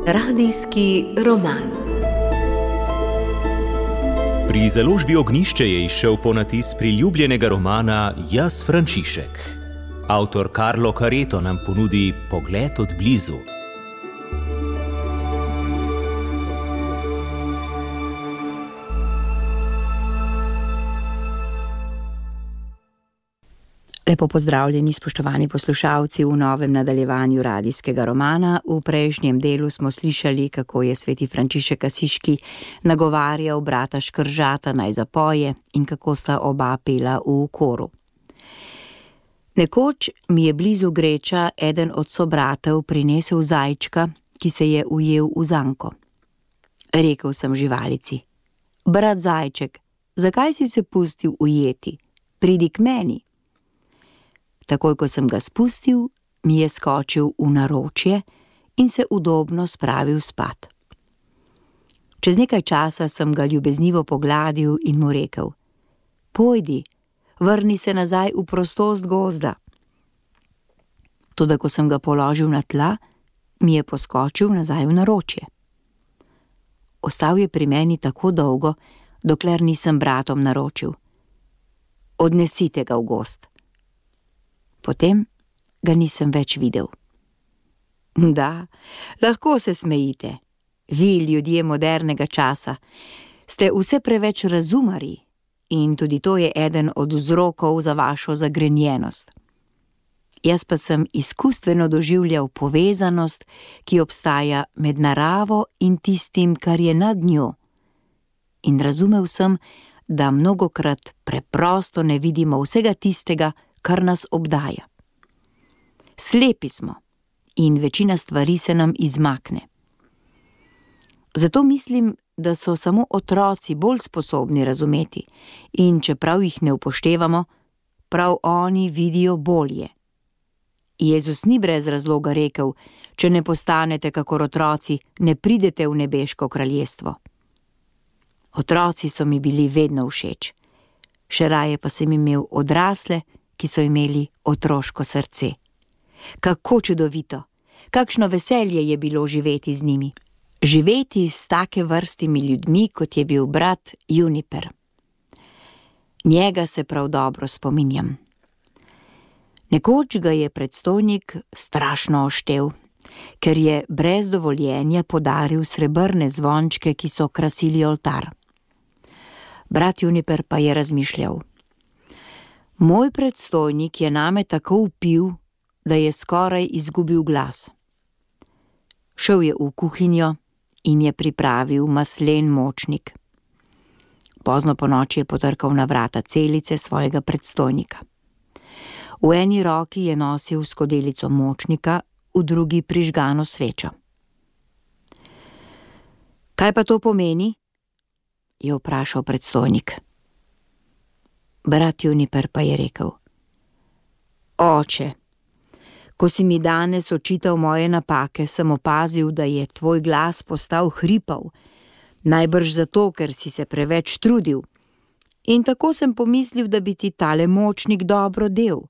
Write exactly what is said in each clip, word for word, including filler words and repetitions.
Radijski roman. Pri založbi Ognjišče je izšel ponatis priljubljenega romana Jaz Frančišek. Avtor Carlo Careto nam ponudi pogled od blizu. Lepo pozdravljeni, spoštovani poslušalci, v novem nadaljevanju radijskega romana. V prejšnjem delu smo slišali, kako je sveti Frančišek Asiški nagovarjal brata Škržata naj zapoje in kako sta oba pela v koru. Nekoč mi je blizu Greča eden od sobratev prinesel zajčka, ki se je ujel v zanko. Rekel sem živalici: brat zajček, zakaj si se pustil ujeti? Pridi k meni. Takoj, ko sem ga spustil, mi je skočil v naročje in se udobno spravil spat. Čez nekaj časa sem ga ljubeznivo pogladil in mu rekel: pojdi, vrni se nazaj v prostost gozda. Toda ko sem ga položil na tla, mi je poskočil nazaj v naročje. Ostal je pri meni tako dolgo, dokler nisem bratom naročil: odnesite ga v gozd. Potem ga nisem več videl. Da, lahko se smejite. Vi, ljudje modernega časa, ste vse preveč razumari in tudi to je eden od vzrokov za vašo zagrenjenost. Jaz pa sem izkustveno doživljal povezanost, ki obstaja med naravo in tistim, kar je nad njo. In razumel sem, da mnogokrat preprosto ne vidimo vsega tistega, kar nas obdaja. Slepi smo in večina stvari se nam izmakne. Zato mislim, da so samo otroci bolj sposobni razumeti in čeprav jih ne upoštevamo, prav oni vidijo bolje. Jezus ni brez razloga rekel: če ne postanete kakor otroci, ne pridete v nebeško kraljestvo. Otroci so mi bili vedno všeč. Še raje pa sem imel odrasle, ki so imeli otroško srce. Kako čudovito, kakšno veselje je bilo živeti z njimi. Živeti s take vrstimi ljudmi, kot je bil brat Juniper. Njega se prav dobro spominjam. Nekoč ga je predstojnik strašno oštel, ker je brez dovoljenja podaril srebrne zvončke, ki so krasili oltar. Brat Juniper pa je razmišljal: moj predstojnik je name tako vpil, da je skoraj izgubil glas. Šel je v kuhinjo in je pripravil maslen močnik. Pozno ponoči je potrkal na vrata celice svojega predstojnika. V eni roki je nosil skodelico močnika, v drugi prižgano svečo. Kaj pa to pomeni? Je vprašal predstojnik. Brat Juniper pa je rekel: oče, ko si mi danes očital moje napake, sem opazil, da je tvoj glas postal hripav, najbrž zato, ker si se preveč trudil. In tako sem pomislil, da bi ti tale močnik dobro del.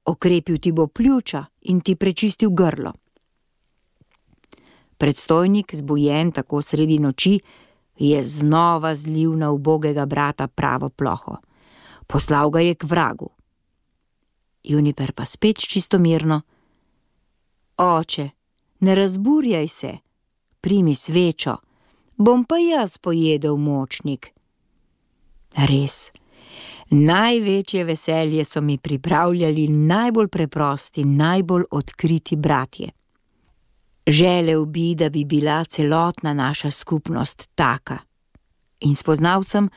Okrepil ti bo pljuča in ti prečistil grlo. Predstojnik, zbujen tako sredi noči, je znova zlil na ubogega brata pravo ploho. Poslal ga je k vragu. Juniper pa spet čistomirno: oče, ne razburjaj se, primi svečo, bom pa jaz pojedel močnik. Res, največje veselje so mi pripravljali najbolj preprosti, najbolj odkriti bratje. Želel bi, da bi bila celotna naša skupnost taka. In spoznal sem,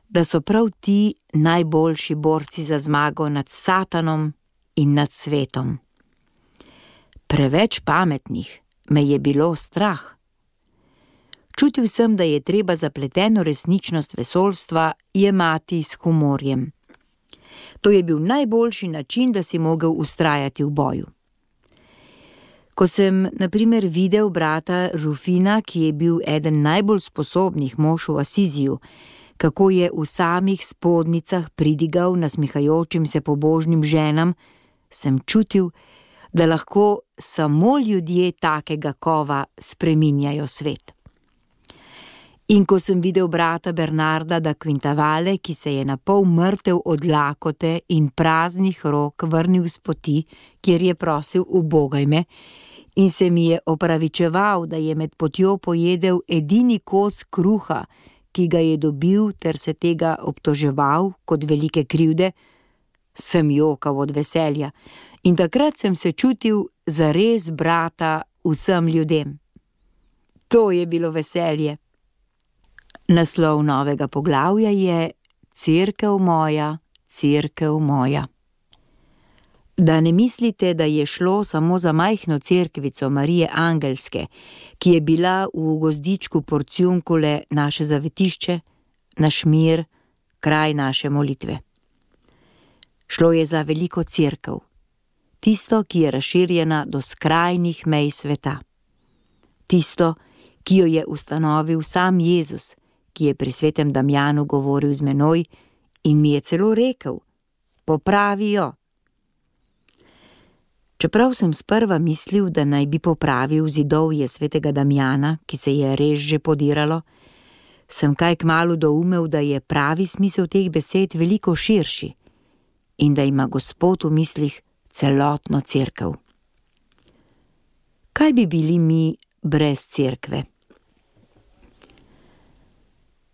da so prav ti najboljši borci za zmago nad Satanom in nad svetom. Preveč pametnih me je bilo strah. Čutil sem, da je treba zapleteno resničnost vesoljstva jemati s humorjem. To je bil najboljši način, da si mogel vztrajati v boju. Ko sem, na primer, videl brata Rufina, ki je bil eden najbolj sposobnih mož v Asiziju, kako je v samih spodnicah pridigal nasmihajočim se pobožnim ženam, sem čutil, da lahko samo ljudje takega kova spreminjajo svet. In ko sem videl brata Bernarda da Quintavale, ki se je napol mrtev od lakote in praznih rok vrnil s poti, kjer je prosil ubogaj me, in se mi je opravičeval, da je med potjo pojedel edini kos kruha, ki ga je dobil, ter se tega obtoževal kot velike krivde, sem jokal od veselja in takrat sem se čutil zares brata vsem ljudem. To je bilo veselje. Naslov novega poglavja je Cerkev moja, cerkev moja. Da ne mislite, da je šlo samo za majhno cerkvico Marije Angelske, ki je bila v gozdičku Porciuncule naše zavetišče, naš mir, kraj naše molitve. Šlo je za veliko cerkev, tisto, ki je razširjena do skrajnih mej sveta. Tisto, ki jo je ustanovil sam Jezus, ki je pri svetem Damjanu govoril z menoj in mi je celo rekel: popravi jo. Čeprav sem sprva mislil, da naj bi popravil zidovje svetega Damjana, ki se je res že podiralo, sem kaj kmalu doumel, da je pravi smisel teh besed veliko širši in da ima Gospod v mislih celotno cerkev. Kaj bi bili mi brez cerkve?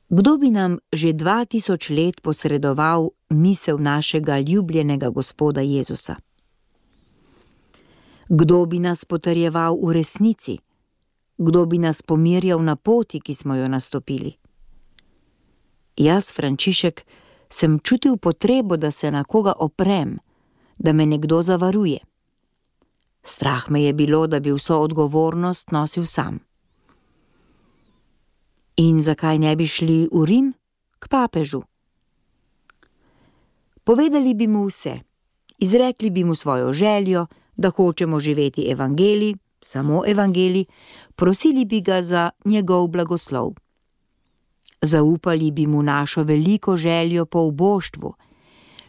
Kdo bi nam že dva tisoč let posredoval misel našega ljubljenega Gospoda Jezusa? Kdo bi nas potrjeval v resnici? Kdo bi nas pomirjal na poti, ki smo jo nastopili? Jaz, Frančišek, sem čutil potrebo, da se na koga oprem, da me nekdo zavaruje. Strah me je bilo, da bi vso odgovornost nosil sam. In zakaj ne bi šli v Rim, k papežu? Povedali bi mu vse, izrekli bi mu svojo željo, da hočemo živeti evangelij, samo evangelij, prosili bi ga za njegov blagoslov. Zaupali bi mu našo veliko željo po uboštvu,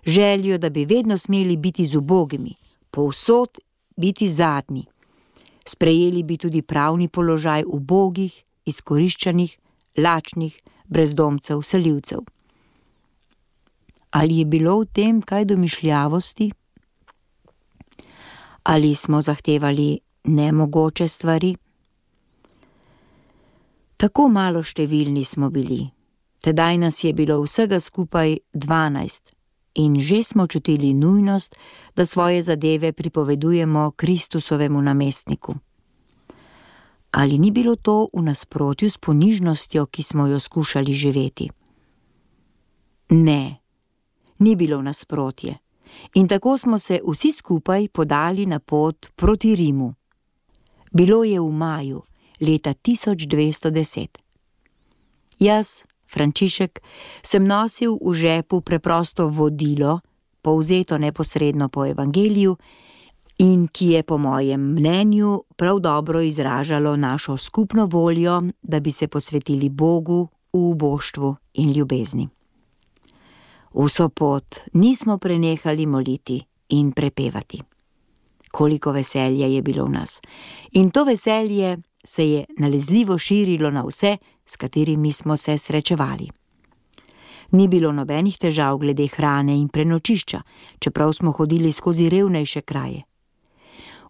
željo, da bi vedno smeli biti z ubogimi, povsod biti zadnji. Sprejeli bi tudi pravni položaj ubogih, izkoriščanih, lačnih, brezdomcev, selivcev. Ali je bilo v tem kaj domišljavosti? Ali smo zahtevali nemogoče stvari? Tako malo številni smo bili, tedaj nas je bilo vsega skupaj dvanajst in že smo čutili nujnost, da svoje zadeve pripovedujemo Kristusovemu namestniku. Ali ni bilo to v nasprotju s ponižnostjo, ki smo jo skušali živeti? Ne, ni bilo nasprotje. In tako smo se vsi skupaj podali na pot proti Rimu. Bilo je v maju leta tisoč dvesto deset. Jaz, Frančišek, sem nosil v žepu preprosto vodilo, povzeto neposredno po evangeliju in ki je po mojem mnenju prav dobro izražalo našo skupno voljo, da bi se posvetili Bogu v uboštvu in ljubezni. Vso pot nismo prenehali moliti in prepevati. Koliko veselja je bilo v nas. In to veselje se je nalezljivo širilo na vse, s katerimi smo se srečevali. Ni bilo nobenih težav glede hrane in prenočišča, čeprav smo hodili skozi revnejše kraje.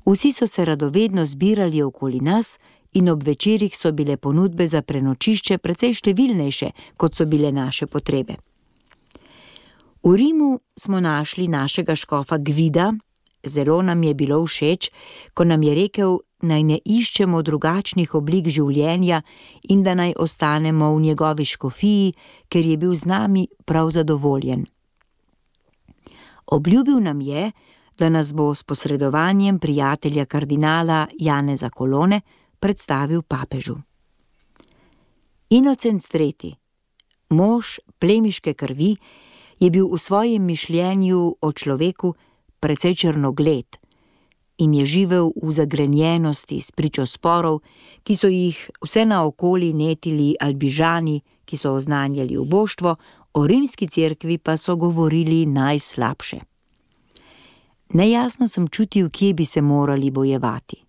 Vsi so se radovedno zbirali okoli nas in ob večerih so bile ponudbe za prenočišče precej številnejše, kot so bile naše potrebe. V Rimu smo našli našega škofa Gvida, zelo nam je bilo všeč, ko nam je rekel, naj ne iščemo drugačnih oblik življenja in da naj ostanemo v njegovi škofiji, ker je bil z nami prav zadovoljen. Obljubil nam je, da nas bo s posredovanjem prijatelja kardinala Janeza Colone predstavil papežu. Inocenc tretji, mož plemiške krvi, je bil v svojem mišljenju o človeku precej črnogled in je živel v zagrenjenosti s pričo sporov, ki so jih vse naokoli netili Albižani, ki so oznanjali uboštvo, o rimski cerkvi pa so govorili najslabše. Nejasno sem čutil, kje bi se morali bojevati.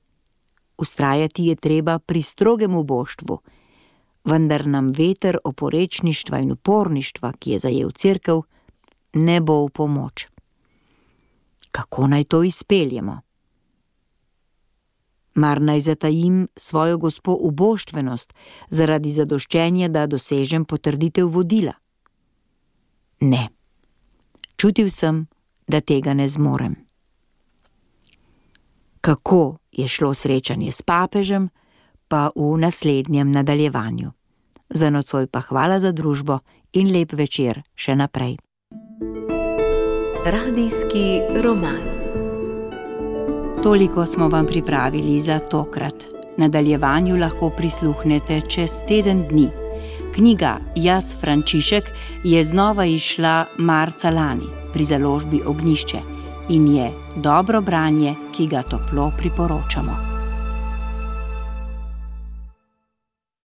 Vztrajati je treba pri strogem uboštvu, vendar nam veter oporečništva in uporništva, ki je zajel cerkev, ne bo v pomoč. Kako naj to izpeljemo? Mar naj zatajim svojo gospo uboštvenost zaradi zadoščenja, da dosežem potrditev vodila? Ne. Čutil sem, da tega ne zmorem. Kako je šlo srečanje s papežem, pa v naslednjem nadaljevanju. Za nocoj pa hvala za družbo in lep večer še naprej. Radijski roman. Toliko smo vam pripravili za tokrat. Nadaljevanju lahko prisluhnete čez teden dni. Knjiga Jaz Frančišek je znova izšla marca lani pri založbi Ognjišče in je dobro branje, ki ga toplo priporočamo.